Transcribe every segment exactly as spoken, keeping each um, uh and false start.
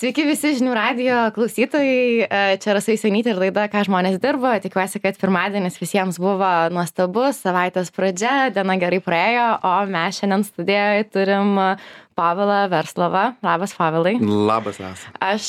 Sveiki visi žinių radijo klausytojai, čia Rasa Jusionytė ir laida Ką žmonės dirba. Tikiuosi, kad pirmadienis visiems buvo nuostabus, savaitės pradžia, diena gerai praėjo, o mes šiandien studijoje turim Pavelą Verslovą. Labas, Pavelai. Labas, Rasa. Aš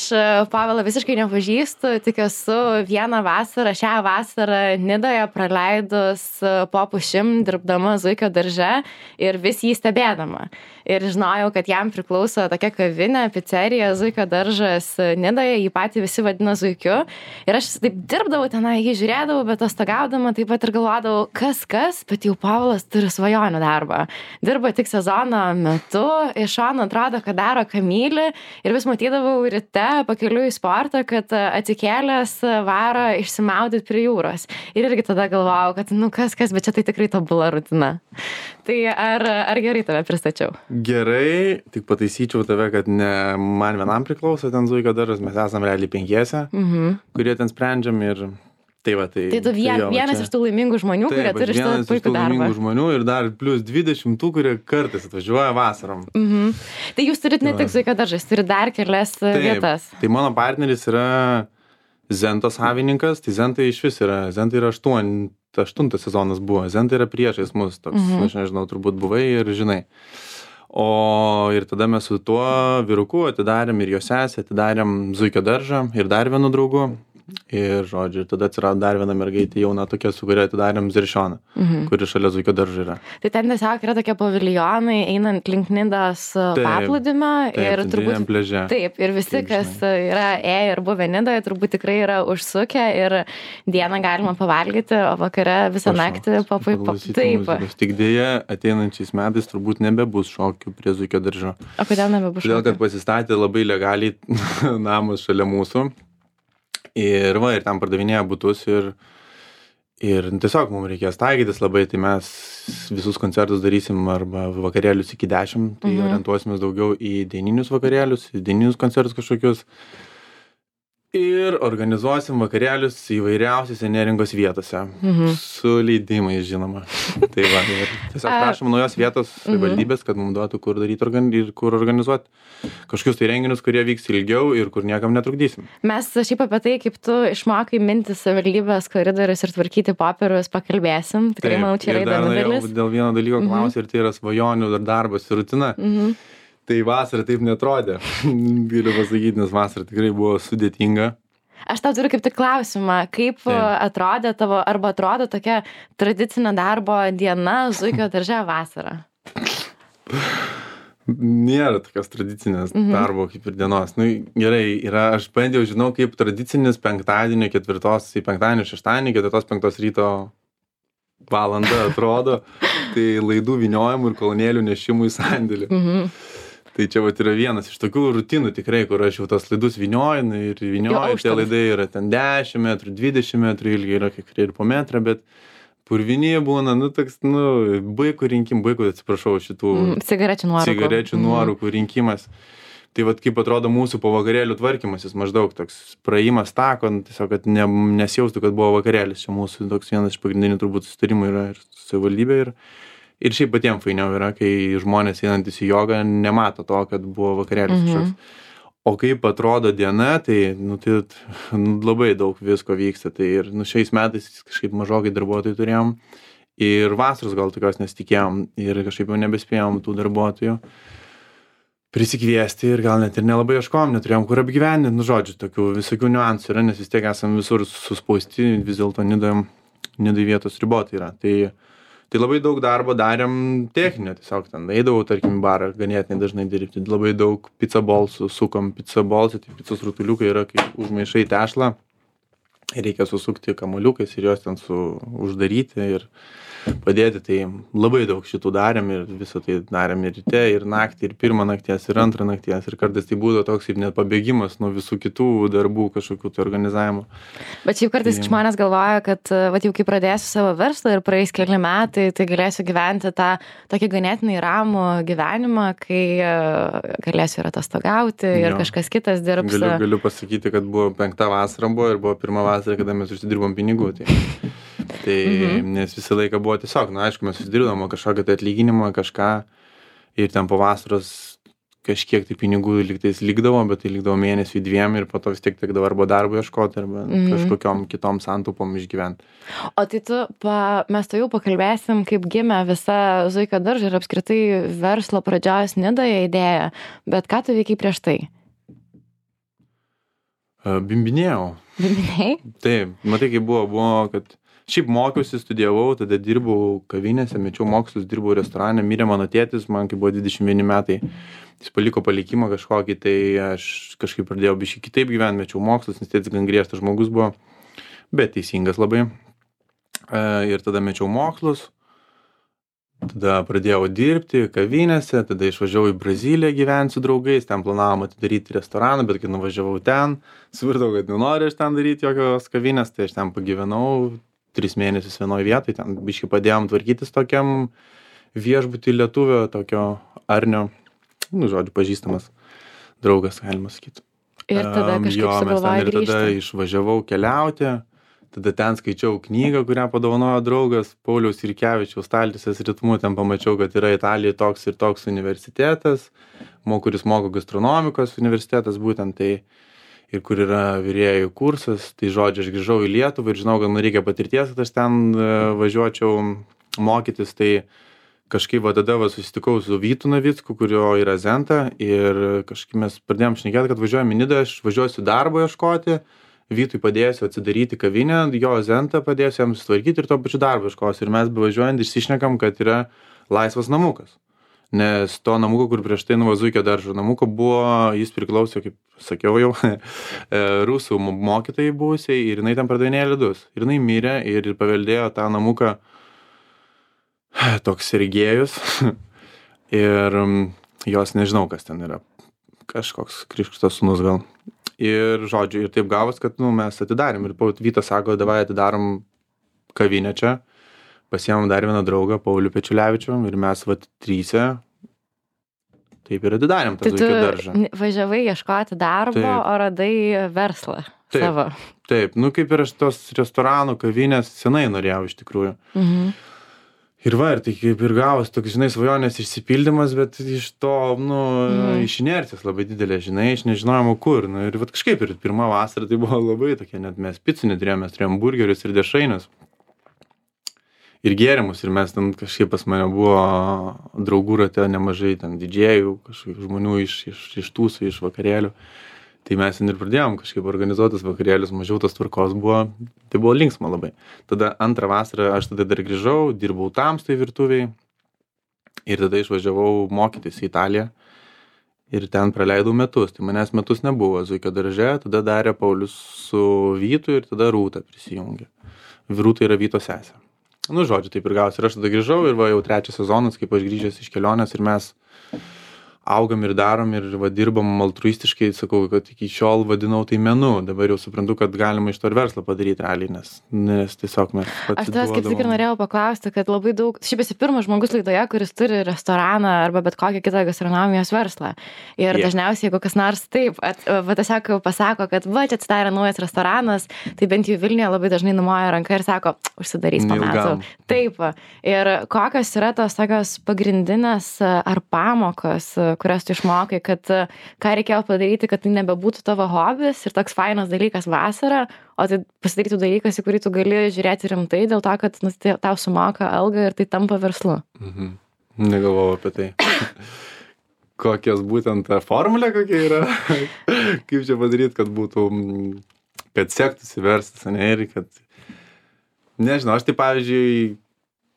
Pavelą visiškai nepažįstu, tik esu vieną vasarą, šią vasarą Nidoje praleidus po pušim, dirbdama Zuikio darže ir vis jį stebėdama. Ir žinojau, kad jam priklauso tokia kavinė, picerija, Zuikio daržas Nidoje, jį patį visi vadina Zuikiu. Ir aš taip dirbdavau tenai, jį žiūrėdavau, bet atostogaudama taip pat ir galvodavau, kas kas, bet jau Pavelas turi svajonių darbą. Dirba tik sezono metu, iš šono atrodo, kad daro, ką myli, ir vis matydavau ryte pakeliui į sportą, kad atsikėlęs varo išsimaudyti prie jūros. Ir irgi tada galvojau, kad nu kas kas, bet čia tai tikrai tobula rutina. Tai ar, ar gerai tave pristačiau? Gerai, tik pataisyčiau tave, kad ne man vienam priklauso ten Zuikio daržas, mes esam realiai penkiese, mhm. kurie ten sprendžiam ir tai va, tai... Tai tu vien, tai jo, vienas čia... iš tų laimingų žmonių, taip, kurie turi šitą puikų darbą. Vienas iš tų laimingų žmonių ir dar plus dvidešimt tų, kurie kartais atvažiuoja vasarom. Mhm. Tai jūs turit ne tik Zuikio daržas, turit dar kelias taip, vietas. Tai mano partneris yra Zento savininkas, tai Zentai iš vis yra, Zentai yra aštuon, aštuntas sezonas buvo, Zentai yra priešais mus, toks, mhm. aš nežinau, turbūt buvai ir žinai. O ir tada mes su tuo vyruku atidarėm ir jo sesę, atidarėm Zuikio daržą ir dar vienu draugu. Ir žodžiu, ir tada atsirado dar viena mergaitė jauna tokia, su kuria atidarėm Ziršioną, mhm. kuri šalia Zuikio daržo yra. Tai ten tiesiog yra tokie paviljonai, einant link Nidos paplūdimio ir turbūt pleže. Taip, ir visi, taip, kas yra ėję ir buvę Nidoje, turbūt tikrai yra užsukę ir dieną galima pavalgyti, o vakare visą naktį papuipo. Taip. Muzikos. Tik dėja, ateinančiais metais turbūt nebebus šokių prie Zuikio daržo. O kodėl nebebus šokių? Todėl, kad pasistatė labai legaliai namas šalia mūsų. Ir va, ir ten pardavinėja butus ir, ir tiesiog mums reikės taikytis labai, tai mes visus koncertus darysim arba vakarėlius iki dešimt, tai mhm. orientuosimės daugiau į dieninius vakarėlius, į dieninius koncertus kažkokius. Ir organizuosim vakarėlius įvairiausiose neringos vietose, mhm. su leidimais, žinoma. Tai va, ir tiesiog prašom naujos vietos valdybės, kad mums duotų, kur daryti ir kur organizuoti kažkokius tai renginius, kurie vyks ilgiau ir kur niekam netrukdysim. Mes šiaip apie tai, kaip tu išmokai minti savivaldybės koridorius ir tvarkyti popierius, pakalbėsim. Tikrai, manau, čia yra įdomi dalis. Dėl vieno dalyko mhm. klausiu, ir tai yra svajonių dar darbas ir rutina. Mhm. Tai vasara taip netrodė, galiu pasakyti, nes vasara tikrai buvo sudėtinga. Aš tau turiu kaip tik klausimą, kaip taip. atrodė tavo, arba atrodo tokia tradicinė darbo diena Zuikio darže vasarą? Nėra tokios tradicinės mhm. darbo kaip ir dienos. Nu, gerai, yra, aš bandžiau, žinau, kaip tradicinis penktadienio ketvirtos, į penktadienio šeštadienį, ketvirtos penktos ryto valanda atrodo, tai laidų vyniojimų ir kolonėlių nešimų į sandėlį. Mhm. Tai čia vat yra vienas iš tokių rutinų tikrai, kur aš jau tas laidus vynioju ir vynioju, tie laidai yra ten dešimt metrų, dvidešimt metrų ilgiai, yra kai kurie ir po metrą, bet purvinyje būna, nu, toks, nu, baikų rinkim, baikų, atsiprašau, šitų mm, cigarečių nuorūkų, cigarečių nuorūkų mm. rinkimas. Tai vat kaip atrodo mūsų po vakarėlių tvarkymasis, maždaug toks praėjimas tako, tiesiog, kad ne, nesijaustų, kad buvo vakarėlis. Čia mūsų toks vienas iš pagrindinių turbūt sustarimų yra ir savivaldybė. Ir, ir šiaip patiems fainiau yra, kai žmonės einantis į jogą nemato to, kad buvo vakarėlis mhm. kažkoks. O kaip atrodo diena, tai, nu, tai nu, labai daug visko vyksta. Tai ir nu, šiais metais kažkaip mažokai darbuotojų turėjom. Ir vasaros gal tokios nesitikėjom. Ir kažkaip jau nebespėjom tų darbuotojų prisikviesti ir gal net ir nelabai ieškom, neturėjom kur apgyvendinti, nu žodžiu, tokių visokių niuansų yra, nes vis tiek esam visur suspausti, vis dėlto Nidoj, Nidoj vietos ribotai yra. Tai, tai labai daug darbo darėm techninio, tiesiog ten eidavau, tarkim, barą ganėtinai dažnai dirbti, labai daug pizza bolsų, sukom pizza bolsų, tai pizzos rutuliukai yra kaip užmaišai tešlą, reikia susukti kamuoliukais ir juos ten su uždaryti ir padėti, tai labai daug šitų darėm ir visą tai darėm ir ryte, ir naktį, ir pirmą nakties, ir antrą nakties, ir kartais tai būdavo toks ir net pabėgimas nuo visų kitų darbų kažkokių tai organizavimo. Bet šiaip kartais tai, žmonės galvoja, kad vat jau kai pradėsiu savo verslą ir praeis keli metai, tai galėsiu gyventi tą tokį ganėtinai ramų gyvenimą, kai galėsiu ir atostogauti ir jo. Kažkas kitas dirbs. Galiu, galiu pasakyti, kad buvo penkta vasara buvo ir buvo pirma vasara, kada mes užsidirbom pinigų. Tai. Tai, mhm. nes visą laiką buvo tiesiog, na, aišku, mes susidirbdom kažkokią tai atlyginimą, kažką ir ten po vasaros kažkiek tai pinigų lygtais likdavo, bet tai likdavo mėnesių dviem ir po to vis tiek tekdavo arba darbo ieškoti, arba mm. kažkokiom kitom santaupom išgyventi. O tai tu, pa, mes to jau pakalbėsim, kaip gimė visa Zuikio daržo ir apskritai verslo pradžios Nidoje idėja, bet ką tu veikiai prieš tai? Bimbinėjau. Bimbinėjai? Taip, matai, kaip buvo, buvo, kad šiaip mokiausi, studijavau, tada dirbau kavinėse, mečiau mokslus, dirbau restorane, mirė mano tėtis, man kai buvo dvidešimt vieni metai, jis paliko palikimą kažkokį, tai aš kažkaip pradėjau biškį kitaip gyventi, mečiau mokslus, nes tėtis gan griežtas žmogus buvo, bet teisingas labai. Ir tada mečiau mokslus, tada pradėjau dirbti kavinėse, tada išvažiavau į Braziliją gyventi su draugais, ten planavom atidaryti restoraną, bet kai nuvažiavau ten, suvirtau, kad nenoriu aš ten daryti jokios kavinės, tai aš ten pagyvenau tris mėnesius vienoje vietoje, ten biškai padėjom tvarkytis tokiam viešbutį lietuvio, tokio Arnio, nu, žodžiu, pažįstamas draugas, galima sakyti. Ir tada kažkaip jo, sugalvojai grįžti. Ir tada išvažiavau keliauti, tada ten skaičiau knygą, kurią padovanojo draugas Pauliaus Jurkevičiaus Staltiesės ritmu, ten pamačiau, kad yra Italijoje toks ir toks universitetas, kuris moko gastronomikos universitetas būtent tai, ir kur yra virėjų kursas, tai žodžiu, aš grįžau į Lietuvą ir žinau, kad man reikia patirties, kad aš ten važiuočiau mokytis, tai kažkaip va tada va susitikau su Vytu Navicku, kurio yra Zenta, ir kažkaip mes pradėjom šnekėti, kad važiuojam į Nidą, aš važiuosiu darbo ieškoti, Vytui padėsiu atsidaryti kavinę, jo Zenta padėsiu jam sutvarkyti ir tuo pačiu darbo ieškosiu. Ir mes bevažiuojant išsišnekam, kad yra laisvas namukas. Nes to namuko, kur prieš tai nuo Zuikio daržo namuko buvo, jis priklausė, kaip sakiau jau, rusų mokytojai buvusiai ir jinai ten pardavinėjo ledus. Ir jinai mirė ir paveldėjo tą namuką toks Sergėjus ir jos nežinau, kas ten yra. Kažkoks Krikštas sūnus gal. Ir žodžiu, ir taip gavos, kad nu, mes atidarėm. Ir Vytas sako, davai atidarom kavinę čia. Pasiėmėm dar vieną draugą, Paulių Pečiulevičių, ir mes vat tryse taip ir atidarėm tą Zuikio daržą. Tai tu važiavai ieškoti darbo, taip. O radai verslą taip, savo. Taip, nu kaip ir aš tos restoranų, kavinės senai norėjau iš tikrųjų. Mhm. Ir va, ir tai kaip ir gavos toks, žinai, svajonės išsipildymas, bet iš to, nu, mm. iš inercijos labai didelė, žinai, iš nežinojimo kur. Nu, ir va kažkaip ir pirmą vasarą tai buvo labai tokia, net mes picų neturėjom, mes turėjom burgerius ir dešrainius. Ir gėrimus, ir mes ten kažkaip pas mane buvo draugų rate nemažai, ten didžėjų, kažkokių žmonių iš, iš, iš tūsų, iš vakarėlių. Tai mes ten ir pradėjom kažkaip organizuotas vakarėlius, mažiau tos tvarkos buvo, tai buvo linksma labai. Tada antrą vasarą aš tada dar grįžau, dirbau tamstai virtuviai ir tada išvažiavau mokytis į Italiją ir ten praleidau metus. Tai manęs metus nebuvo Zuikio darže, tada darė Paulius su Vytu ir tada Rūta prisijungė. Rūta yra Vyto sesė. Nu, žodžiu, taip ir gausi. Ir aš tada grįžau ir va jau trečias sezonas, kaip aš grįžęs iš kelionės ir mes augam ir darom ir va dirbam altruistiškai, sakau, kad iki šiol vadinau tai menu, dabar jau suprantu, kad galima iš to ir verslą padaryti realiai, nes, nes tiesiog mes pasiduodam. Aš tas kaip tik ir norėjau paklausti, kad labai daug, šiaip esi pirmas žmogus laidoje, kuris turi restoraną arba bet kokią kitą gastronomijos verslą. Ir yeah. dažniausiai, jeigu kas nors taip, at, va tiesiog pasako, kad va čia atsidarė naujas restoranas, tai bent jau Vilniuje labai dažnai numoja ranką ir sako, užsidarys po metų. Taip. Ir kokios yra tos tokios pagrindinės ar pamokos, kurias tu išmokai, kad ką reikėjo padaryti, kad tai nebebūtų tavo hobis ir toks fainas dalykas vasarą, o tai pasidarytų dalykas, į kurį tu gali žiūrėti rimtai, dėl to, kad nu, tau sumoka algą ir tai tampa verslu. Mhm. Negalvojau apie tai. Kokios būtent ta formulė kokia yra, kaip čia padaryti, kad būtų, kad sektųsi verslas, ne, ir kad, nežinau, aš tai pavyzdžiui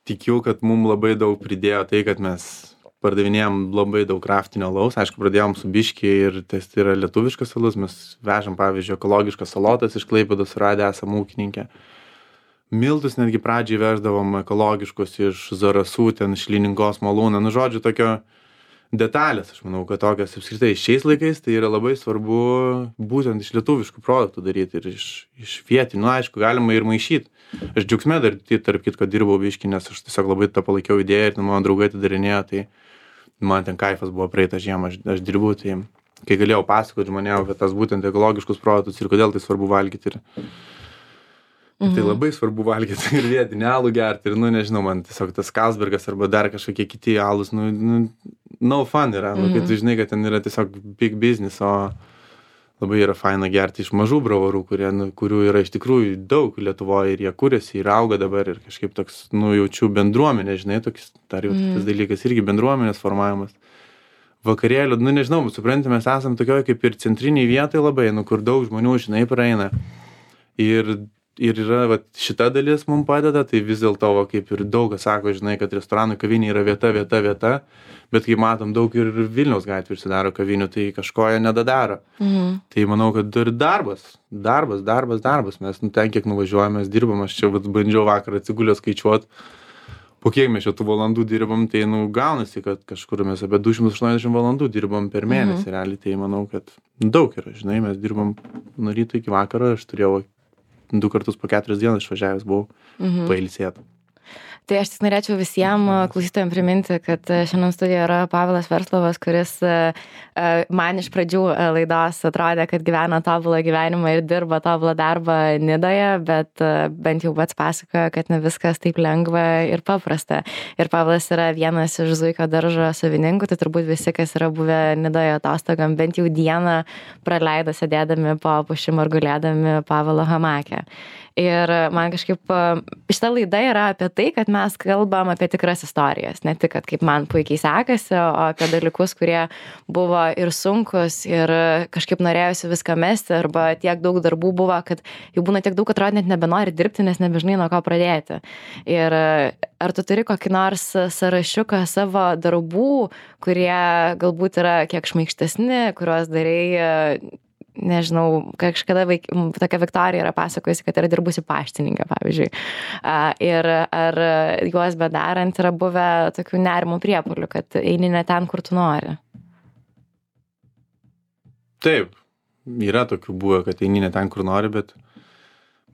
tikiu, kad mums labai daug pridėjo tai, kad mes pardavinėjom labai daug kraftinio alaus, aišku, pradėjom su biškį ir tai yra lietuviškas alus, mes vežam, pavyzdžiui, ekologiškas salotas iš Klaipėdos, radę esam ūkininkę. Miltus netgi pradžiai veždavom ekologiškus iš Zarasų, ten iš Lyningos malūno, nu žodžiu, tokio detalės, aš manau, kad tokios apskritai šiais laikais tai yra labai svarbu būtent iš lietuviškų produktų daryti ir iš, iš vietinių, nu aišku, galima ir maišyti. Aš džiaugsme dar tarp kitko dirbau biškį, nes aš tiesiog labai tą palaikiau idėją ir mano draugai atidarinėjo, tai man ten kaifas buvo praeitą žiemą, aš, aš dirbau, tai kai galėjau pasakoti žmonėm apie tas būtent ekologiškus produktus ir kodėl tai svarbu valgyti. Ir, Mhm. Tai labai svarbu valgyti ir vietinį alų gerti. Ir, nu, nežinau, man tiesiog tas Carlsbergas arba dar kažkokie kiti alus, nu, nu no fun yra. Mhm. Nu, kai tu žinai, kad ten yra tiesiog big business, o labai yra faina gerti iš mažų bravarų, kurie, nu, kurių yra iš tikrųjų daug Lietuvoje ir jie kūrėsi ir auga dabar ir kažkaip toks, nu, jaučiu bendruomenė, žinai, toks, dar jau mhm. tas dalykas irgi bendruomenės formavimas. Vakarėlių, nu, nežinau, supranti, mes esam tokioje kaip ir centriniai vietai labai, nu, kur daug žmonių, žinai, praeina. Ir Ir yra, va, šita dalis mums padeda, tai vis dėlto, va, kaip ir daug kas sako, žinai, kad restoranų kavinė yra vieta, vieta, vieta, bet kaip matom, daug ir Vilniaus gatvė užsidaro kavinių, tai kažko jie nedadaro. Mhm. Tai manau, kad ir darbas, darbas, darbas, darbas, mes nu, ten kiek nuvažiuojame, mes dirbam, aš čia vat, bandžiau vakar atsigulęs skaičiuot, po kiek mes šitų valandų dirbam, tai nu, gaunasi, kad kažkur mes apie du šimtus aštuoniasdešimt valandų dirbam per mėnesį, mhm. realiai, tai manau, kad daug yra, žinai, mes dirbam nuo ryto iki vakaro, aš turėjau du kartus po keturias dienas išvažiavęs buvau mhm. pailsėti. Tai aš tik norėčiau visiems klausytojams priminti, kad šiandien studijoje yra Pavelas Verslovas, kuris man iš pradžių laidos atrodė, kad gyvena tobulą gyvenimą ir dirba tobulą darbą Nidoje, bet bent jau pats pasakojo, kad ne viskas taip lengva ir paprasta. Ir Pavelas yra vienas iš Zuikio daržo savininkų, tai turbūt visi, kas yra buvę Nidoje atostogam, bent jau dieną praleido sėdėdami po pušim ar gulėdami Pavelo hamake. Ir man kažkaip šita laida yra apie tai, kad mes kalbam apie tikras istorijas, ne tik, kad kaip man puikiai sekasi, o apie dalykus, kurie buvo ir sunkus ir kažkaip norėjusi viską mesti, arba tiek daug darbų buvo, kad jau būna tiek daug, atrodo, net nebenori dirbti, nes nebežinai nuo ko pradėti. Ir ar tu turi kokį nors sąrašiuką savo darbų, kurie galbūt yra kiek šmaikštesni, kuriuos darai, nežinau, kažkada vaik, tokia Viktorija yra pasakojusi, kad yra dirbusi paštininkė, pavyzdžiui. Ir ar juos bedarant yra buvę tokių nerimų priepuolių, kad eini ne ten, kur tu nori? Taip, yra tokių buvę, kad eini ne ten, kur nori, bet,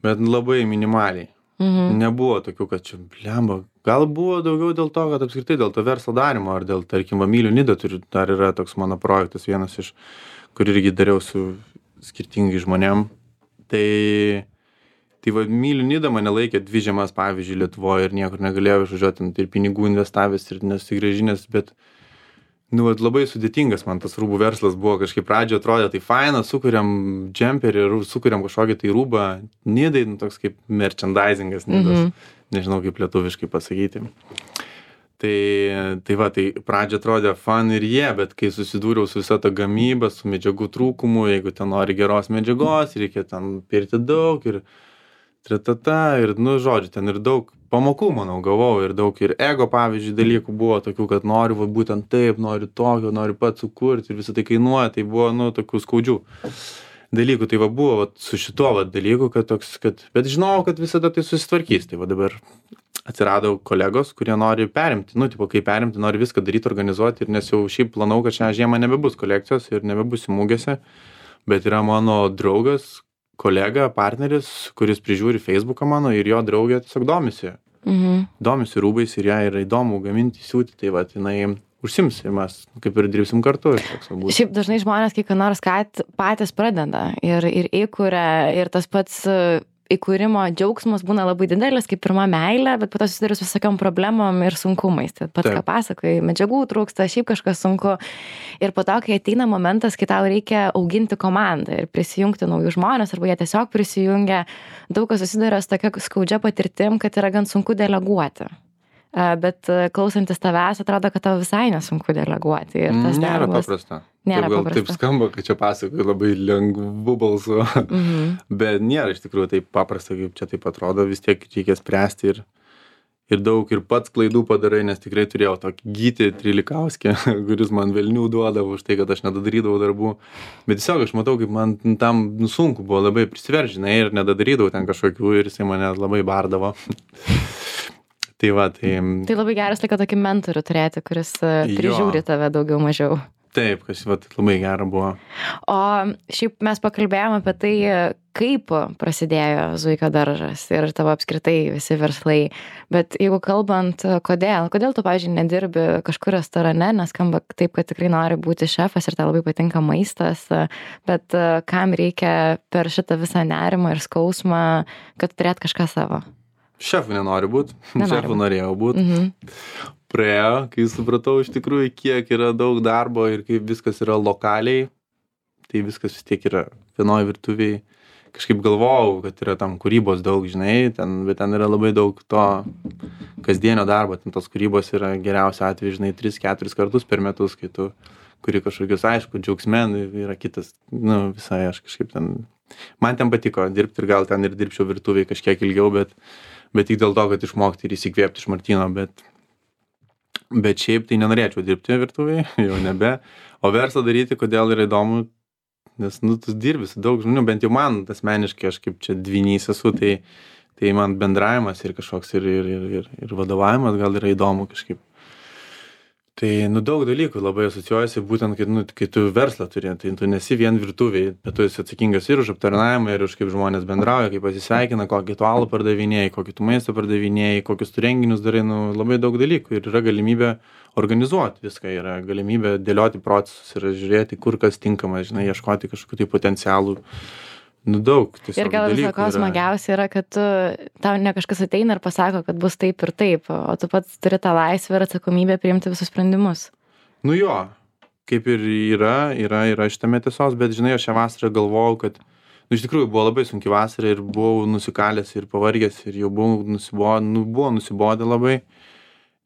bet labai minimaliai. Mhm. Nebuvo tokių, kad čia blemba. Gal buvo daugiau dėl to, kad apskritai dėl to verslo darimo, ar dėl, tarkim, va, Myliu Nidą turiu, dar yra toks mano projektas, vienas iš, kur irgi dariau su skirtingai žmonėm. Tai, tai va, Myliu Nidą mane laikė dvi žiemas, pavyzdžiui, Lietuvoje ir niekur negalėjau išvažiuoti, ir pinigų investavęs ir nesugrąžinęs, bet nu, va, labai sudėtingas man tas rūbų verslas buvo, kažkaip pradžioje atrodė, tai faina, sukuriam džemperį, sukuriam kažkokį tai rūbą, Nidai, nu, toks kaip merchandisingas Nidos, mhm. nežinau kaip lietuviškai pasakyti. Tai, tai va, tai pradžia atrodė fun ir jie, yeah, bet kai susidūriau su visą tą gamybą, su medžiagų trūkumu, jeigu ten nori geros medžiagos, reikia ten pirti daug ir tratata, ir, nu, žodžiu, ten ir daug pamokų, manau, gavau, ir daug ir ego, pavyzdžiui, dalykų buvo tokių, kad noriu, va, būtent taip, noriu tokio, noriu pats sukurti ir visą tai kainuoja, tai buvo, nu, tokių skaudžių dalykų, tai va buvo va, su šituo va dalyku, kad toks, kad, bet žinau, kad visada tai susitvarkys, tai va dabar atsirado kolegos, kurie nori perimti, nu, tipo, kai perimti, nori viską daryti, organizuoti, ir nes jau šiaip planau, kad šią žiemą nebebus kolekcijos ir nebebus mūgėse, bet yra mano draugas, kolega, partneris, kuris prižiūri Facebooką mano ir jo draugė tiesiog domisi. Mhm. Domisi rūbais ir ją yra įdomu gaminti, siūti, tai va, jinai užsims ir mes kaip ir dirbsim kartu. Šiaip dažnai žmonės kiek nors patys pradeda ir, ir įkuria, ir tas pats įkūrimo džiaugsmas būna labai didelis, kaip pirma meilė, bet po to susiduri su visokiom problemom ir sunkumais. Tai pats, ką pasakoji, medžiagų trūksta, šiaip kažkas sunku. Ir po to, kai ateina momentas, kai tau reikia auginti komandą ir prisijungti naujų žmonės, arba jie tiesiog prisijungia, daug kas susiduria su tokia skaudžia patirtim, kad yra gan sunku deleguoti. Bet klausantis tavęs, atrodo, kad tau visai nesunku deleguoti. Ir tas nėra darbas, paprasta. Nėra taip, gal paprasta. Taip skamba, kad čia pasakoju labai lengvu balsu, mhm. bet nėra iš tikrųjų taip paprasta, kaip čia taip atrodo, vis tiek reikia spręsti ir, ir daug ir pats klaidų padarai, nes tikrai turėjau tokį Gytį Trilikauskę, kuris man velnių duodavo už tai, kad aš nedadarydavau darbų, bet tiesiog aš matau, kaip man tam sunku buvo labai prisiveržinai ir nedadarydavau ten kažkokių ir jisai mane labai bardavo. Tai va, tai... Tai labai geras laiko tokį mentorių turėti, kuris prižiūri tave daugiau mažiau. Taip, kas va, labai gera buvo. O šiaip mes pakalbėjome apie tai, kaip prasidėjo Zuikio daržas ir tavo apskritai visi verslai. Bet jeigu kalbant, kodėl, kodėl tu, pavyzdžiui, nedirbi kažkur restorane, nes skamba taip, kad tikrai nori būti šefas ir tau labai patinka maistas, bet kam reikia per šitą visą nerimą ir skausmą, kad turėt kažką savo? Šefu nenori būti, šefu būt. norėjau būti. Mhm. Praėjo, kai supratau iš tikrųjų, kiek yra daug darbo ir kaip viskas yra lokaliai, tai viskas vis tiek yra vienoj virtuviai. Kažkaip galvojau, kad yra tam kūrybos daug, žinai, ten, bet ten yra labai daug to kasdienio darbo, ten tos kūrybos yra geriausia atveju, žinai, tris keturis kartus per metus, kai tu kuri kažkokius, aišku, džiaugsmen yra kitas, nu, visai aš kažkaip ten, man ten patiko dirbti ir gal ten ir dirbčiau virtuviai kažkiek ilgiau, bet, bet tik dėl to, kad išmokti ir įsikvėpti iš Martyno, bet, bet šiaip tai nenorėčiau dirbti virtuviai, jau nebe, o verslą daryti, kodėl yra įdomu, nes, nu, tu dirbi su daug žmonių, bent jau man asmeniškai, aš kaip čia dvynys esu, tai, tai man bendravimas ir kažkoks ir, ir, ir, ir, ir vadovavimas gal yra įdomu kažkaip. Tai, nu, daug dalykų labai asocijuojasi, būtent, kai, nu, kai tu verslą turi, tai tu nesi vien virtuviai, bet tu esi atsakingas ir už aptarnavimą, ir už kaip žmonės bendrauja, kaip pasisveikina, kokį tu alų pardavinėjai, kokį tu maistą pardavinėjai, kokius tu renginius darai, nu, labai daug dalykų ir yra galimybė organizuoti viską, yra galimybė dėlioti procesus ir žiūrėti, kur kas tinkama, žinai, ieškoti kažkokių tai potencialų. Nu, daug. Ir gal viso ko smagiausia yra, kad tu, tau ne kažkas ateina ir pasako, kad bus taip ir taip, o tu pats turi tą laisvę ir atsakomybę priimti visus sprendimus. Nu jo, kaip ir yra, yra, yra šitame tiesos, bet žinai, aš šią vasarą galvojau, kad, nu, iš tikrųjų buvo labai sunki vasara ir buvau nusikalęs ir pavargęs ir jau buvau nusibodę, nu, buvo nusibodę labai.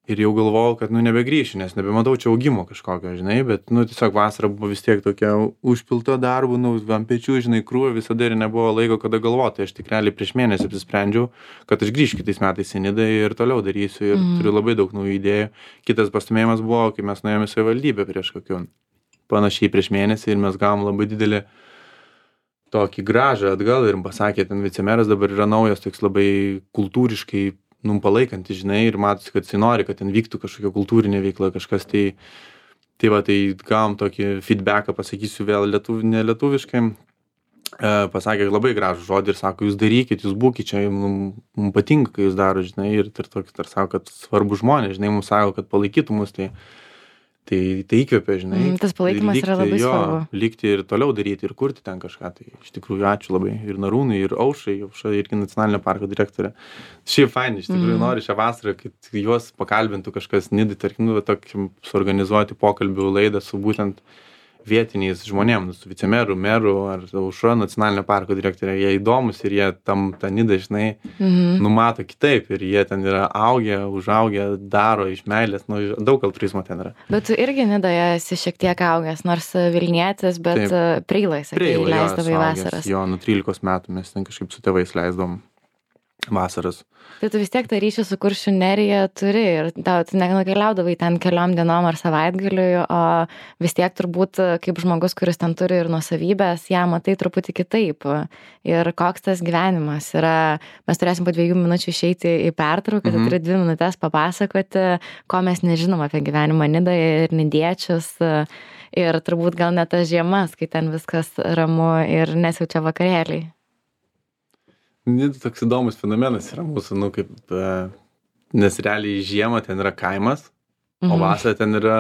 Ir jau galvojau, kad, nu, nebegrįšiu, nes nebematau čia augimo kažkokio, žinai, bet, nu, tiesiog vasara buvo vis tiek tokia užpilta darbų, nu, ant pečių, žinai, krūvė visada ir nebuvo laiko, kada galvoti. Aš tik realiai prieš mėnesį apsisprendžiau, kad aš grįšiu kitais metais į Nidą ir toliau darysiu ir mm. turiu labai daug naujų idėjų. Kitas pastumėjimas buvo, kai mes nuėjome į savivaldybę prieš kokiu panašiai prieš mėnesį ir mes gavom labai didelį tokį gražą atgal ir pasakė, ten vicemeras dabar yra naujas, toks labai kultūriškai nu, palaikantis, žinai, ir matosi, kad jis nori, kad ten vyktų kažkokia kultūrinė veikla, kažkas, tai, tai va, tai gavom tokį feedbacką, pasakysiu vėl lietuv, ne lietuviškai, e, pasakė labai gražų žodį ir sako, jūs darykit, jūs būkit čia, mums mum patinka, kai jūs daro, žinai, ir tar, tar, tar sako, kad svarbu žmonės, žinai, mums sako, kad palaikytų mus, tai, tai, tai įkvėpia, žinai. Mm, tas palaikymas likti, yra labai jo, svarbu. Likti ir toliau daryti ir kurti ten kažką, tai iš tikrųjų ačiū labai ir Narūnui, ir Aušrai, Aušra irgi nacionalinio parko direktorė. Šiaip faini, iš tikrųjų mm. nori šią vasarą, kad juos pakalbintų kažkas Nidai, tarkim, nu, tokį suorganizuoti pokalbių laidą su būtent vietiniais žmonėm, su vicemeru, meru ar Aušra nacionalinio parko direktorė. Jie įdomus ir jie tam tą Nidą, žinai, mm. numato kitaip ir jie ten yra augę, užaugę, daro iš meilės, nu, daug altruizmo ten yra. Bet tu irgi Nidoje esi šiek tiek augęs, nors Vilnietis, bet Preilai, sakai, leisdavai vasaras. Jo, nuo trylikos metų mes ten kažkaip su tėvais leisdavom vasaras. Tai tu vis tiek tą ryšį su Kuršių nerija turi ir tau, tu nenukeliaudavai ten keliom dienom ar savaitgaliui, o vis tiek turbūt kaip žmogus, kuris ten turi ir nuosavybės, ją matai truputį kitaip. Ir koks tas gyvenimas yra, mes turėsim po dviejų minučių išeiti į pertrauką, mm-hmm. tai turi dvi minutės papasakoti, ko mes nežinom apie gyvenimą Nidoje ir nidiečius. Ir turbūt gal net tas žiemas, kai ten viskas ramu ir nesiaučia vakarėliai. Nida toks įdomus fenomenas yra mūsų, nu, kaip, nes realiai žiemą ten yra kaimas, mhm. o vasarą ten yra,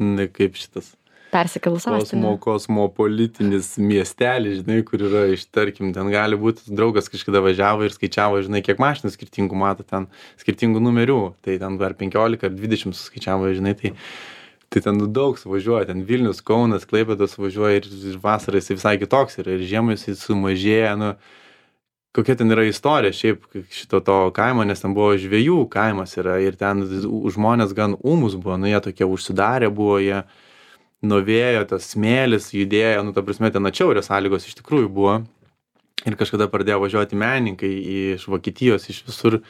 ne, kaip šitas persikėlus kosmo, kosmopolitinis miestelis, žinai, kur yra iš, tarkim, ten gali būti, draugas kažkada važiavo ir skaičiavo, žinai, kiek mašinų skirtingų mato ten, skirtingų numerių, tai ten ar penkiolika ar dvidešimt suskaičiavo, žinai, tai tai ten daug suvažiuoja, ten Vilnius, Kaunas, Klaipėdos važiuoja ir vasarą jis visai kitoks yra ir žiemą jis sumažėja, nu, kokia ten yra istorija šiaip šito to kaimo, nes ten buvo žvejų kaimas yra ir ten žmonės gan ūmus buvo, nu jie tokie užsidarę buvo, jie nuo vėjo, tas smėlis judėjo, nu ta prasme ten atšiaurės sąlygos iš tikrųjų buvo ir kažkada pradėjo važiuoti menininkai iš Vokietijos, iš visur,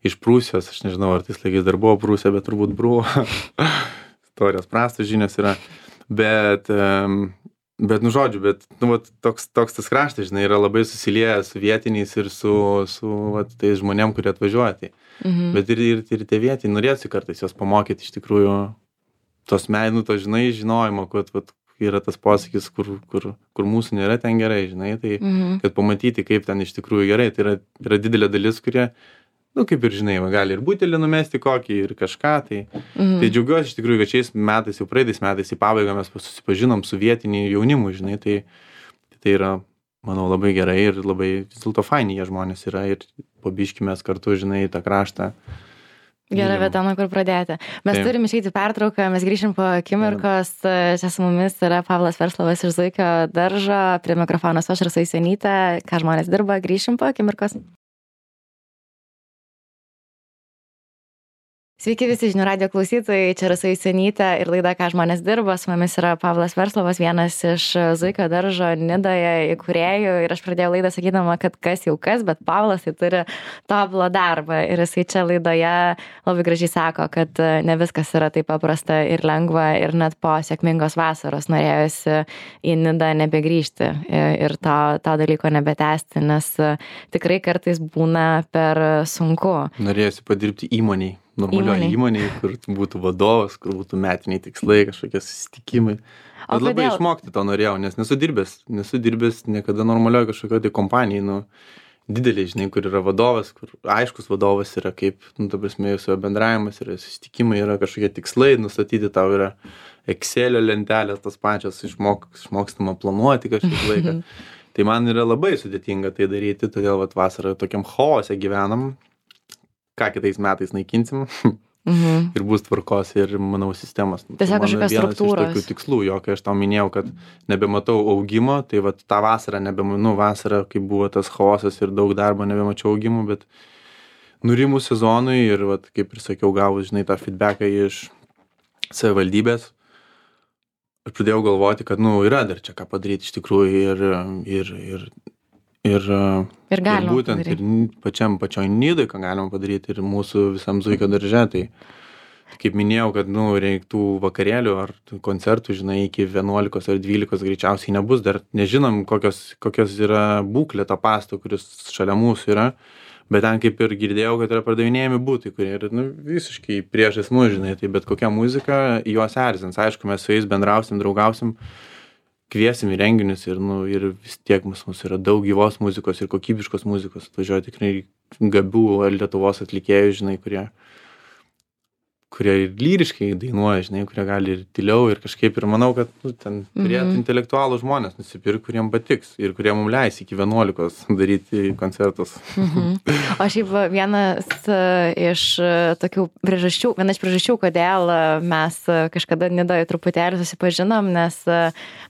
iš Prūsijos, aš nežinau, ar tais laikais dar buvo Prūsija, bet turbūt buvo, istorijos prastos žinios yra, bet... Um, Bet, nu, žodžiu, bet, nu, vat, toks, toks tas kraštas, žinai, yra labai susiliejęs su vietiniais ir su, su vat, tais žmonėm, kurie atvažiuoja. Tai. Mhm. Bet ir, ir, ir tie vietiniai norėsi kartais jos pamokyti iš tikrųjų tos menų, to, žinai, žinojimo, kad, vat, yra tas posakis, kur, kur, kur mūsų nėra, ten gerai, žinai, tai Mhm. kad pamatyti, kaip ten iš tikrųjų gerai, tai yra, yra didelė dalis, kurie, nu, kaip ir žinai, va, gali ir butelį numesti kokį, ir kažką, tai, Mhm. tai džiaugiuosi iš tikrųjų, kad šiais metais, jau praeitais metais į pabaigą mes susipažinom su vietiniu jaunimu, žinai, tai, tai yra, manau, labai gerai ir labai vis dėlto faini jie žmonės yra ir po biškį mes kartu, žinai, tą kraštą. Gera Mylim. vieta, nuo kur pradėti. Mes Taip. turim išeiti pertrauką, mes grįšim po akimirkos. Čia su mumis yra Pavlas Verslovas iš Zuikio daržo, prie mikrofono aš Rasa Jusionytė, ką žmonės dirba, grįšim po akimirkos. Sveiki visi žinių radijo klausytojai, čia Rasa Jusionytė ir laida, ką žmonės dirba. Su mumis yra Pavlas Verslovas, vienas iš Zuikio daržo Nidoje įkūrėjų. Ir aš pradėjau laidą sakydama, kad kas jau kas, bet Pavlas tai turi tobulą darbą. Ir jisai čia laidoje labai gražiai sako, kad ne viskas yra taip paprasta ir lengva. Ir net po sėkmingos vasaros norėjosi į Nidą nebegrįžti ir to, to dalyko nebetęsti, nes tikrai kartais būna per sunku. Norėjusi padirbti įmoniai. Normalioje įmonėje, kur būtų vadovas, kur būtų metiniai tikslai, kažkokie susitikimai. Bet labai išmokti to norėjau, nes nesu dirbęs, nesu dirbęs niekada normalioje kažkokioje tai kompanijai, nu, didelė, žinai, kur yra vadovas, kur aiškus vadovas yra kaip, nu, ta prasme, jūsų bendravimas yra, susitikimai yra kažkokie tikslai, nustatyti tau yra Excelio lentelės, tas pačios išmok, išmokstama planuoti kažkiek laiką. Tai man yra labai sudėtinga tai daryti, todėl vat vasarą tokiam chaose gyvenam. Ką kitais metais naikinsim Mhm. ir bus tvarkos ir, manau, sistemos. Tiesiog kažkokios Vienas iš struktūros. tokių tikslų, jo, kai aš tau minėjau, kad nebematau augimo, tai vat tą vasarą nebemanau, vasarą, kai buvo tas chaosas ir daug darbo, nebemačiau augimų, bet nurimus sezonui ir, vat, kaip ir sakiau, gavus, žinai, tą feedbacką iš savivaldybės, aš pradėjau galvoti, kad, nu, yra dar čia ką padaryti iš tikrųjų ir, ir, ir, ir, Ir galima būtent padaryti. ir pačiam pačioj Nidoj, ką galima padaryti ir mūsų visam Zuikio darže, tai kaip minėjau, kad, nu, reiktų vakarėlių ar koncertų, žinai, iki vienuolikos ar dvylikos greičiausiai nebus, dar nežinom, kokios, kokios yra būklė to pasto, kuris šalia mūsų yra, bet ten kaip ir girdėjau, kad yra pardavinėjami būtai, kurie yra, nu, visiškai priešais mus, žinai, tai bet kokia muzika juos erzins, aišku, mes su jais bendrausim, draugausim, kviesim į renginius ir, nu, ir vis tiek mus, mus yra daug gyvos muzikos ir kokybiškos muzikos. Atvažiuoja tikrai gabių Lietuvos atlikėjų, žinai, kurie, kurie ir lyriškai dainuoja, žinai, kurie gali ir tyliau ir kažkaip ir manau, kad, nu, ten turėtų Mhm. intelektualų žmonės nusipirkti, kuriem patiks ir kurie mums leis iki vienuolikos daryti koncertus. Mhm. O šiaip vienas e, iš e, tokių priežasčių, viena iš priežasčių, kodėl e, mes e, kažkada Nidoje truputėlį susipažinom, nes e,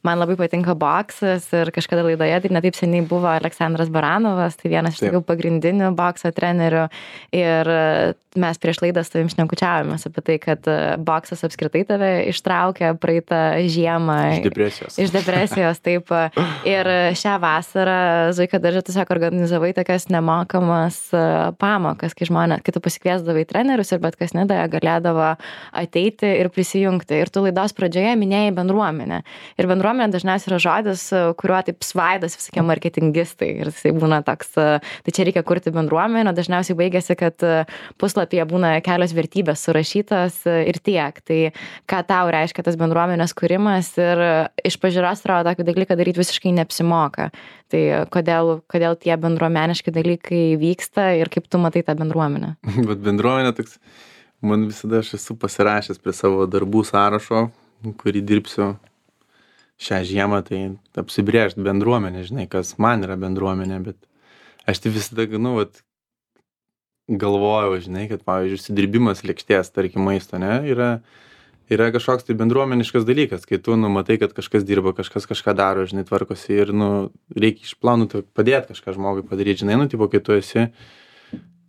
man labai patinka boksas ir kažkada laidoje, tai netaip seniai buvo Aleksandras Baranovas, tai vienas iš Taip. tokių pagrindinių bokso trenerių ir e, mes prieš laidą su tavim šnekučiavomės apie tai, kad e, boksas apskritai tave ištraukė praeitą žiemą Iš depresijos. Iš depresijos, taip. Ir šią vasarą Zuikio darže tiesiog organizavai tokias nemokamas e, pamokas, kai žmonės, kai tu pasikviesdavai trenerius ir bet kas Nidoje galėdavo ateiti ir prisijungti. Ir tu laidos pradžioje minėjai bendruomenę. Ir bendruomenė dažniausiai yra žodis, e, kuriuo taip svaidas visokie marketingistai. Ir jisai būna toks, e, tai čia reikia kurti bendruomenę, dažniausiai baigėsi, kad e, puslapyje būna kelios vertybės surašytos e, ir tiek. Tai ką tau reiškia tas bendruomenės kūrimas ir iš pažiūros atrodo tokį dalyką daryti visiškai neapsimoka. Tai kodėl, kodėl tie bendruomeniški dalykai vyksta ir kaip tu matai tą bendruomenę? Bet bendruomenė toks, man visada aš esu pasirašęs prie savo darbų sąrašo, kurį dirbsiu šią žiemą, tai apsibrėžti bendruomenę, žinai, kas man yra bendruomenė, bet aš tai visada, nu, vat, galvojau, žinai, kad, pavyzdžiui, užsidirbimas lėkštės, tarkim, maisto, ne, yra, yra kažkoks tai bendruomeniškas dalykas, kai tu, nu, matai, kad kažkas dirba, kažkas kažką daro, žinai, tvarkosi ir, nu, reikia išplanuoti, padėti kažką žmogui padaryti, žinai, nu, tipo, kai tu esi,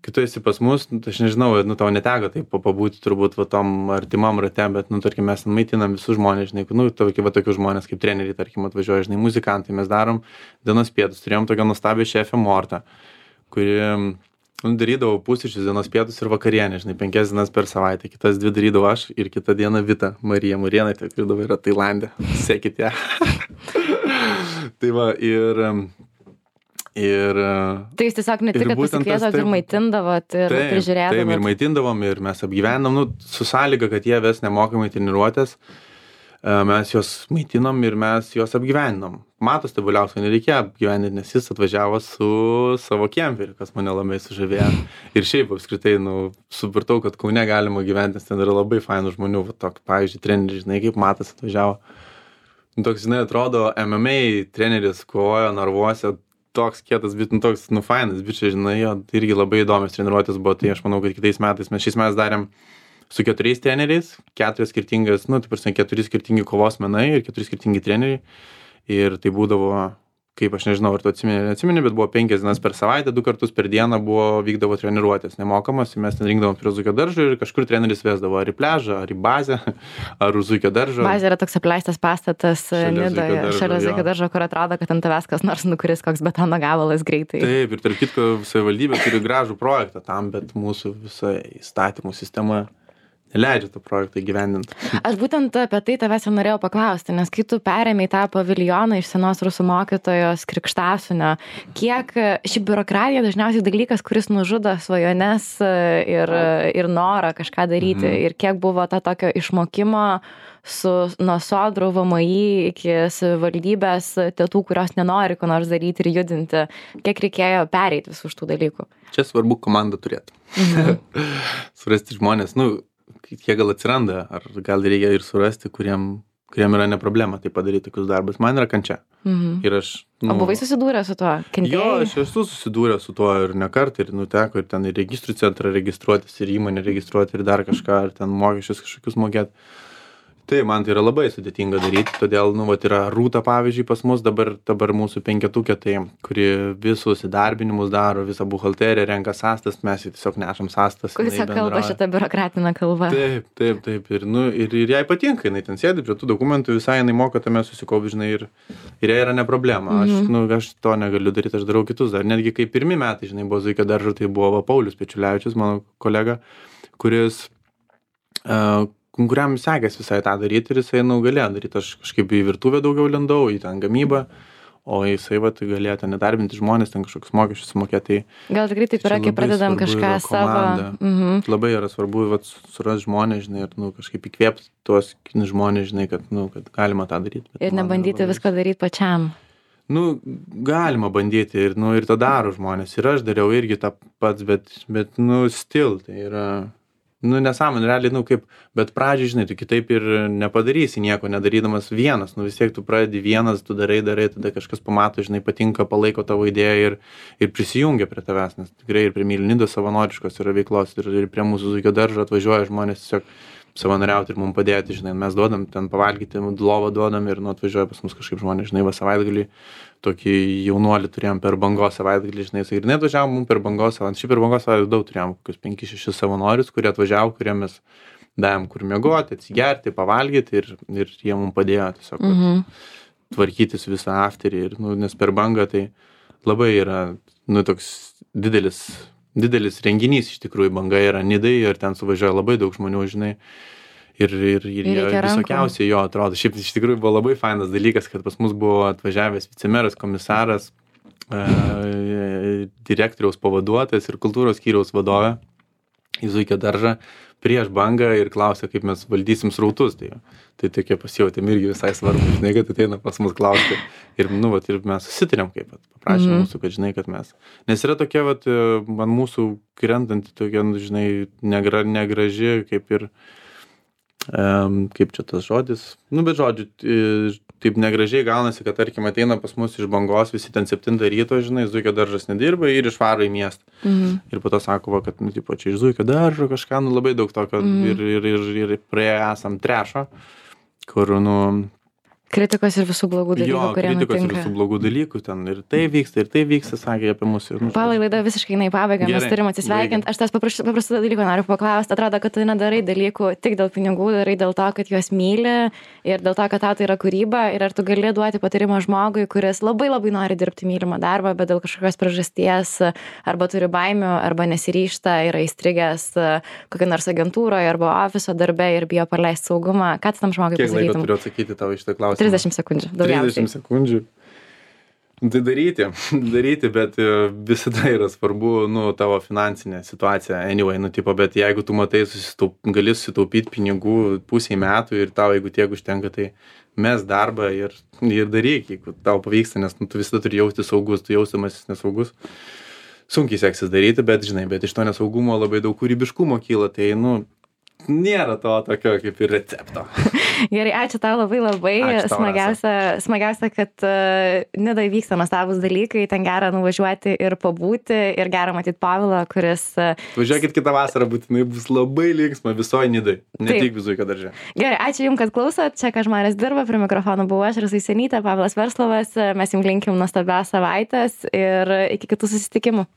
kai tu esi pas mus, nu, tai aš nežinau, nu, tau neteko taip pabūti turbūt va tom artimam rate, bet, nu, tarkim, mes maitinam visus žmonės, žinai, nu, tokie, va, tokius žmonės kaip treneriai, tarkim, atvažiuoja, žinai, muzikantai, mes darom dienos pietus, turėjom tokią nuostabią šefę Mortą, kuri, nu, darydavau pusryčius, dienos pietus ir vakarienę, žinai, penkias dienas per savaitę, kitas dvi darydavau aš ir kitą dieną Vita, Marija Murėnaitė, kuri dabar yra Tailande, sekit ją. Tai va, ir... Ir, Tai jūs tiesiog ne tik, kad pasikviesot ir maitindavot ir taip, prižiūrėdavot. Taip, ir maitindavom, ir mes apgyvendom, nu, su sąlyga, kad jie ves nemokamai treniruotės. mes juos maitinom ir mes juos apgyvendinom. Matos Tabuliausko nereikėjo apgyvendinti, nes jis atvažiavo su savo kemperiu, kas mane labai sužavėjo. Ir šiaip apskritai, nu, supratau, kad Kaune galima gyventi, nes ten yra labai fainų žmonių, va, tok, pavyzdžiui, treneriai, žinai, kaip Matas atvažiavo. Nu, toks, žinai, atrodo, M M A treneris kovojo narvuose, toks kietas, bet, nu, toks, nu, fainas, bičiai, žinai, jo, irgi labai įdomios treniruotės buvo, tai aš manau, kad kitais metais mes šiais metais darėm su keturiais treneriais, keturios skirtingas, nu, taip prasme, keturi skirtingi kovos menai ir keturi skirtingi treneriai. Ir tai būdavo, kaip aš nežinau, ar tu atsimeni, atsimeni, bet buvo penkias dienas per savaitę, du kartus per dieną buvo, vykdavo treniruotės nemokamas, mes ten rinkdavom prie Zuikio daržo ir kažkur treneris vesdavo ar į pležą, ar į bazę, ar už Zuikio daržo. Bazė yra toks apleistas pastatas Nidoje, šalia Zuikio daržo, kur atrodo, kad ant tavęs kas nors nukuris koks betono gabalas greitai. Taip, ir tarp kitko savivaldybė turi gražų projektą tam, bet mūsų visa įstatymų sistema leidžia tą projektą įgyvendinti. Aš būtent apie tai tavęs ir norėjau paklausti, nes kai tu perėmei tą paviljoną iš senos rusų mokytojos Krikštasunio, kiek ši biurokratija dažniausiai dalykas, kuris nužudo svajones ir, ir norą kažką daryti, mhm. ir kiek buvo ta tokio išmokimo su nuo sodrų V M I iki savivaldybės tėtų, kurios nenori ko nors daryti ir judinti, kiek reikėjo pereiti visų šitų dalykų? Čia svarbu komandą turėti. Mhm. Surasti žmonės, nu, jie gal atsiranda, ar gal reikia ir surasti, kuriem, kuriem yra ne problema tai padaryti tokius darbus. Man yra kančia. Mhm. Ir aš, nu, o buvai susidūrę su tuo? Kentėjai? Jo, aš esu susidūrę su tuo ir ne kartą, ir nuteko ir ten ir registrų centrą registruotis, ir įmonę registruoti, ir dar kažką, ir ten mokesčius kažkokius mokėti. Tai man tai yra labai sudėtinga daryti, todėl, nu, vat yra Rūta, pavyzdžiui, pas mus dabar, dabar mūsų penketukė, tai, kuri visus įdarbinimus daro, visą buhalteriją, renka sąstas, mes jį tiesiog nešam sąstas. Kuris kalba šitą biurokratinę kalbą. Taip, taip, taip, ir, nu, ir, ir jai patinka, jinai ten sėdi prie tų dokumentų, visai jinai moka tame susikaupt, žinai, ir, ir jai yra ne problema. Aš, mhm. nu, aš to negaliu daryti, aš darau kitus dar. Netgi kai pirmi metai, žinai, buvo Zuikio daržo, tai buvo Paulius Pečiulevičius, mano kolega, kuris uh, kuriam sekės visai tą daryti ir jisai, nu, galėjo daryti. Aš kažkaip į virtuvę daugiau lindau, į ten gamybą, o jisai, va, tai galėjo ten nedarbinti žmonės, ten kažkokius mokesčius sumokėti. Gal tikrai taip yra, kai pradedam kažką savo. Mhm. Labai yra svarbu, va, surasti žmonės, žinai, ir, nu, kažkaip įkvėpti tuos žmonės, žinai, kad, nu, kad galima tą daryti. Ir nebandyti visko daryti pačiam. Nu, galima bandyti ir, nu, ir tą daro žmonės. Ir aš dariau irgi tą pats, bet, bet, nu, still, tai yra... Nu, nesąmonė, realiai, nu, kaip, bet pradžiai, žinai, tu kitaip ir nepadarysi nieko, nedarydamas vienas, nu, vis tiek tu pradedi vienas, tu darai, darai, tada kažkas pamato, žinai, patinka, palaiko tavo idėją ir, ir prisijungia prie tavęs, nes tikrai ir prie Mylių savanoriškos yra veiklos ir, ir prie mūsų Zuikio daržo atvažiuoja žmonės tiesiog savanoriauti ir mums padėti, žinai, mes duodam ten pavalgyti, lovą duodam ir, nu, atvažiuoja pas mus kažkaip žmonės, žinai, va, savaitgalį tokį jaunuolį turėjom per Bangos savaitgalį, žinai, ir net atvažiavom mums per Bangos savaitgalį, šiaip per Bangos savaitgalį daug turėjom, kokius penki šeši savanorius, kurie atvažiavo, kurie mes davėm kur miegoti, atsigerti, pavalgyti ir, ir jie mums padėjo tiesiog mhm. tvarkytis visą afterį, ir, nu, nes per Bangą tai labai yra, nu, toks didelis, didelis renginys, iš tikrųjų, Banga yra Nidai ir ten suvažiuoja labai daug žmonių, žinai. Ir, ir, ir, ir visokiausiai jo atrodo. Šiaip iš tikrųjų buvo labai fainas dalykas, kad pas mus buvo atvažiavęs vicemeras, komisaras, e, direktoriaus pavaduotojas ir kultūros skyriaus vadovė į Zuikio daržą prieš Bangą ir klausė, kaip mes valdysim srautus. Tai, tai tokie pasijautėm irgi visai svarbu, žinai, kad ateina pas mus klausti. Ir, nu, vat, ir mes susitarėm, kaip paprašė mm. mūsų, kad, žinai, kad mes. Nes yra tokia, vat, man mūsų krentanti tokia, žinai, negra, negraži, kaip ir Um, kaip čia tas žodis, nu, bet žodžiu, taip negražiai gaunasi, kad, tarkim, ateina pas mus iš Bangos visi ten septintą ryto, žinai, Zuikio daržas nedirba ir išvaro į miestą. Mhm. Ir po to sako, va, kad, nu, tipo, čia iš Zuikio daržo kažką, nu, labai daug tokio mhm. ir, ir, ir, ir praėję esam trešo, kur, nu... Kritikos ir visų blogų dalykų, jo, kurie kritikos nutinka. Ir visų blogų dalykų, ten ir tai vyksta, ir tai vyksta, sakė apie mus. Ir, nu, Palai, laida visiškai eina į pabaigą, mes turim atsisveikinti. Aš tas paprastų dalykų noriu paklausti. Atrodo, kad tu nedarai dalykų tik dėl pinigų, darai dėl to, kad juos myli ir dėl to, kad tau tai yra kūryba. Ir ar tu gali duoti patarimą žmogui, kuris labai labai nori dirbti mylimą darbą, bet dėl kažkokios priežasties arba turi baimių, arba nesiryžta, yra įstrigęs kokią nors agentūroje arba ofiso darbe ir bijo praleisti saugumą. Ką tu tam žmogui pasakytum? Kiek laiko turiu atsakyti tau iš tą klausimą? trisdešimt sekundžių, daugiausiai. trisdešimt sekundžių. Tai daryti, daryti, bet e, visada yra svarbu, nu, tavo finansinė situacija, anyway, nu, tipo, bet jeigu tu matai, susitaup, gali susitaupyti pinigų pusiai metų ir tau, jeigu tiek užtenka, tai mes darbą ir, ir daryk, jeigu tau pavyksta, nes nu, tu visada turi jausti saugus, tu jausimasis nesaugus. Sunkiai seksis daryti, bet, žinai, bet iš to nesaugumo labai daug kūrybiškumo kyla, tai, nu, nėra to tokio kaip ir recepto. Gerai, ačiū tau labai labai. Ačiū tau, Smagiausia, smagiausia, kad uh, Nidoj vyksta nuostabūs dalykai, ten gera nuvažiuoti ir pabūti, ir gera matyti Pavilą, kuris... Uh, Važiuokit kitą vasarą, būtinai bus labai linksma visoje Nidoj, ne Taip. tik Zuikio darže. Gerai, ačiū Jums, kad klausot. Čia Ką žmonės dirba, prie mikrofono buvau aš, Rasa Jusionytė, Pavilas Verslovas. Mes Jums linkim nuostabios savaitės ir iki kitų susitikimų.